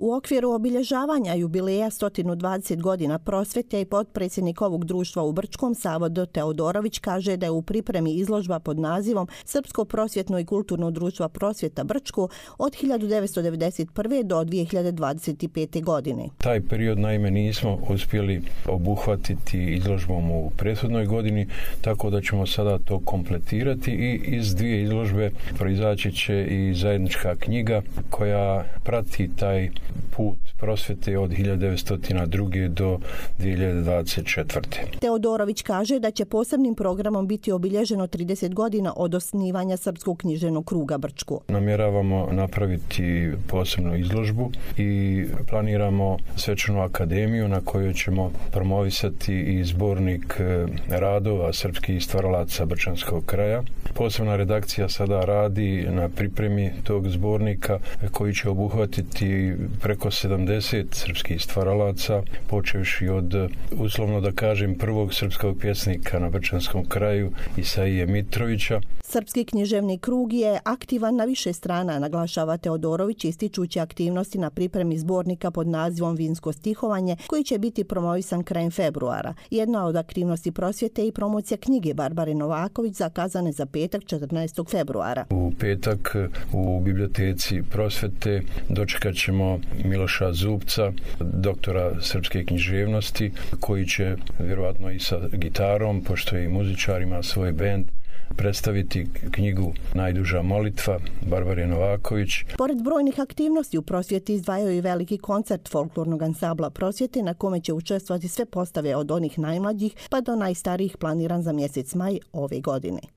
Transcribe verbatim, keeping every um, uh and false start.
U okviru obilježavanja jubileja sto dvadeset godina prosvjete i potpredsjednik ovog društva u Brčkom, Savo D. Teodorović, kaže da je u pripremi izložba pod nazivom Srpsko prosvjetno i kulturno društvo Prosvjeta Brčko od hiljadu devetsto devedeset prve. do dvije hiljade dvadeset pete. godine. Taj period naime nismo uspjeli obuhvatiti izložbom u prethodnoj godini, tako da ćemo sada to kompletirati i iz dvije izložbe proizaći će i zajednička knjiga koja prati taj put prosvjete od hiljadu devetsto druge. do dvije hiljade dvadeset četvrte. Teodorović kaže da će posebnim programom biti obilježeno trideset godina od osnivanja Srpskog književnog kruga Brčko. Namjeravamo napraviti posebnu izložbu i planiramo svečanu akademiju na kojoj ćemo promovisati i zbornik radova srpskih stvaralaca brčanskog kraja. Posebna redakcija sada radi na pripremi tog zbornika koji će obuhvatiti preko sedamdeset srpskih stvaralaca, počevši od, uslovno da kažem, prvog srpskog pjesnika na brčanskom kraju Isaije Mitrovića. Srpski književni krug je aktivan na više strana, naglašava Teodorović, ističući aktivnosti na pripremi zbornika pod nazivom Vinsko stihovanje, koji će biti promovisan krajem februara. Jedna od aktivnosti prosvjete i promocija knjige Barbare Novaković zakazane za petak četrnaestog februara. U petak u biblioteci prosvjete dočekat ćemo Miloša Zubca, doktora srpske književnosti, koji će vjerojatno i sa gitarom, pošto je i muzičar, ima svoj bend, predstaviti knjigu Najduža molitva Barbare Novaković. Pored brojnih aktivnosti u prosvjeti izdvajaju i veliki koncert folklornog ansambla Prosvjete na kome će učestvovati sve postave od onih najmlađih pa do najstarijih, planiran za mjesec maj ove godine.